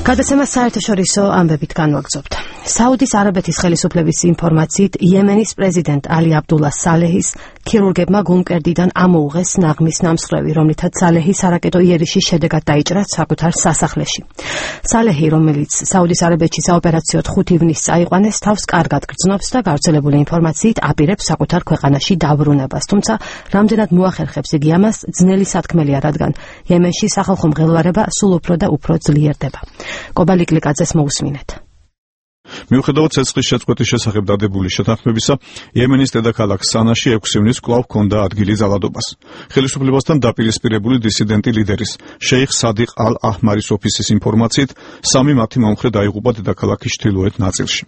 გადაცემას საერთაშორისო ამბებით განვაგრძობთ. საუდის არაბეთის ხელისუფლების ინფორმაციით, იემენის პრეზიდენტ ალი აბდულა სალეჰის ქირურგებმა გულმკერდიდან ამოუღეს ნაღმის ნამსხვრევი, რომლითაც სალეჰი სარაკეტო იერიშის შედეგად დაიჭრა საკუთარ სასახლეში. სალეჰი, რომელიც საუდის არაბეთში საოპერაციოდ 5 ივნისს წაიყვანეს, თავს კარგად გრძნობს და გავრცელებული ინფორმაციით აპირებს საკუთარ ქვეყანაში დაბრუნებას. თუმცა რამდენად მოახერხებს იგი ამას, ძნელი სათქმელია, რადგან იემენში სახალხო მღელვარება სულ უფრო და უფრო ძლიერდება. კობალიკლიკაძეს მოусმინეთ. მიუხედავად ცეცხლის შეწყვეტის შესახებ დადებული შეთანხმებისა, იემენის დედაქალაქ სანაში 6 ივნისს კვლავ ჰქონდა ადგილი ძალადობას. ხელისუფლებასთან დაპირისპირებული დისიდენტი ლიდერის შეიხ სადიყ ალ-აჰმარის ოფისის ინფორმაციით, 3 მათი მომხრე დაიღუპა დედაქალაქის ჩრდილოეთ ნაწილში.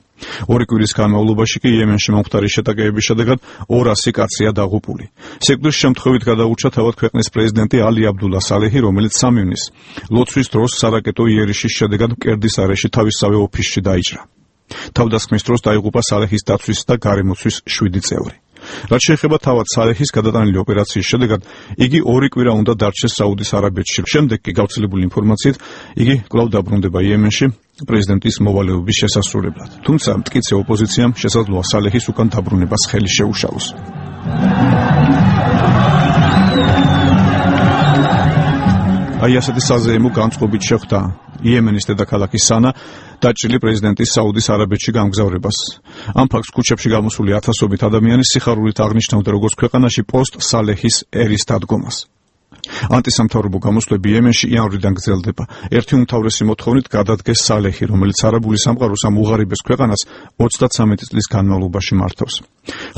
2 კვირის განმავლობაში კი იემენში მომხდარი შეტაკებების შედეგად 200 კაცია დაღუპული. სიკვდილის შემთხვევით გადაურჩა თავად ქვეყნის პრეზიდენტი ალი აბდულა სალეჰი, რომელიც 3 ივნისს ლოცვის დროს სარაკეტო იერიშის შედეგად მკერდის არეში თავისსავე ოფისში დაიჭრა. თავდასხმის დროს დაიღუპა სალეჰის დაცვის და გარემოცვის 7 წევრი. რაც შეეხება თავად სალეჰის გადატანილი ოპერაციის შედეგად, იგი 2 კვირა უნდა დარჩეს საუდის არაბეთში. შემდეგ კი გავრცელებული ინფორმაციით, იგი კვლავ დაბრუნდება იემენში პრეზიდენტის მოვალეობის შესასრულებლად. თუმცა მტკიცე ოპოზიციამ შესაძლოა სალეჰის უკან დაბრუნებას ხელი შეუშალოს. აი ასეთი საზეიმო განწყობით შეხვდა იემენის დედაქალაქის სანა დაჭრილი პრეზიდენტის საუდის არაბეთში გამგზავრებას. ამ ფაქტს ქუჩებში გამოსული ათასობით ადამიანი სიხარულით აღნიშნავდა როგორც ქვეყანაში პოსტ სალეჰის ერის დადგომას. ანტისამთავრობო გამოსვლები იემენში იანვრიდან გრძელდება. ერთი უმთავრესი მოთხოვნით გადადგეს სალეჰი, რომელიც არაბული სამყაროს ამ უღარიბეს ქვეყანას 33 წლის განმავლობაში მართავს.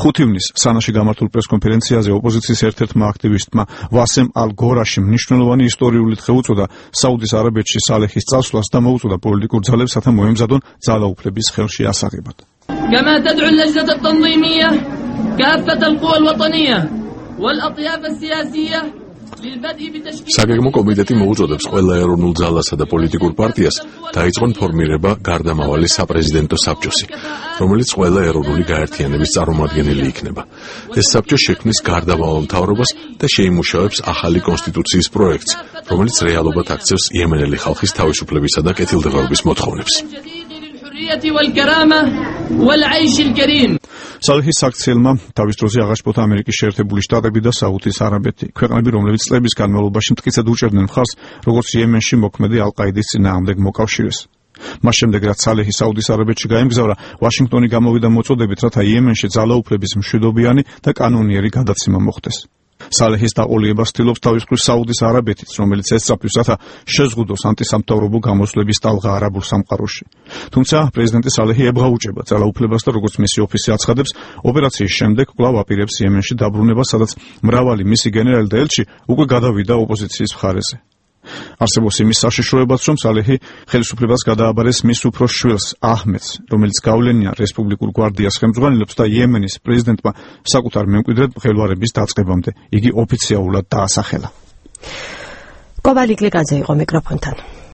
5 ივნისს სანაში გამართულ პრესკონფერენციაზე ოპოზიციის ერთ-ერთმა აქტივისტმა ვასემ ალ-გორაშიმ მნიშვნელოვანი ისტორიული დღე უწოდა საუდის არაბეთში სალეჰის წასვლას და მოუწოდა პოლიტიკურ ძალებს, რათა მოემზადონ ძალაუფლების ხელში ასაღებად. كما تدعو اللجنة التنظيمية كافة القوى الوطنية والأطياف السياسية საგეგმო კომიტეტი მოუწოდებს ყველა ეროვნულ ძალასა და პოლიტიკურ პარტიას დაიწყონ ფორმირება გარდამავალი საპრეზიდენტო საბჭოსი, რომელიც ყველა ეროვნული გაერთიანების წარმომადგენელი იქნება. ეს საბჭო შექმნის გარდამავალ მთავრობას და შეიმუშავებს ახალი კონსტიტუციის პროექტს, რომელიც რეალობად აქცევს იემენელი ხალხის თავისუფლებისა და კეთილდღეობის მოთხოვნებს. სალეჰის საქციელმა თავის დროზე აღაშფოთა ამერიკის შეერთებული შტატები და საუდის არაბეთი, ქვეყნები, რომლებიც წლების განმავლობაში მტკიცედ უჭერდნენ მხარს, როგორც იემენში მოქმედი ალ-ყაიდის წინააღმდეგ მოკავშირეს. მას შემდეგ, რაც სალეჰი საუდის არაბეთში გაემგზავრა, ვაშინგტონი გამოვიდა მოწოდებით, რათა იემენში ძალაუფლების მშვიდობიანი და კანონიერი გადაცემა მოხდეს. სალეჰის დაყოლიებას ცდილობს თავის მხრივ საუდის არაბეთიც, რომელიც ესწრაფვის, რათა შეზღუდოს ანტისამთავრობო გამოსვლების ტალღა არაბულ სამყაროში. თუმცა პრეზიდენტი სალეჰი ებღაუჭება ძალაუფლებას და როგორც მისი ოფისი აცხადებს, ოპერაციის შემდეგ კვლავ აპირებს იემენში დაბრუნებას, სადაც მრავალი მისი გენერალი და ელჩი უკვე გადავიდა ოპოზიციის მხარეზე. არსებობს იმის საშიშროებაც, რომ სალეჰი ხელისუფლებას გადააბარეს მის უფროს შვილს აჰმედს, რომელიც გავლენიან რესპუბლიკურ გვარდიას ხელმძღვანელობს და იემენის პრეზიდენტმა საკუთარ მემკვიდრედ მღელვარების დაწყებამდე იგი ოფიციალურად დაასახელა. კობალიკლიკაძე იყო მიკროფონთან.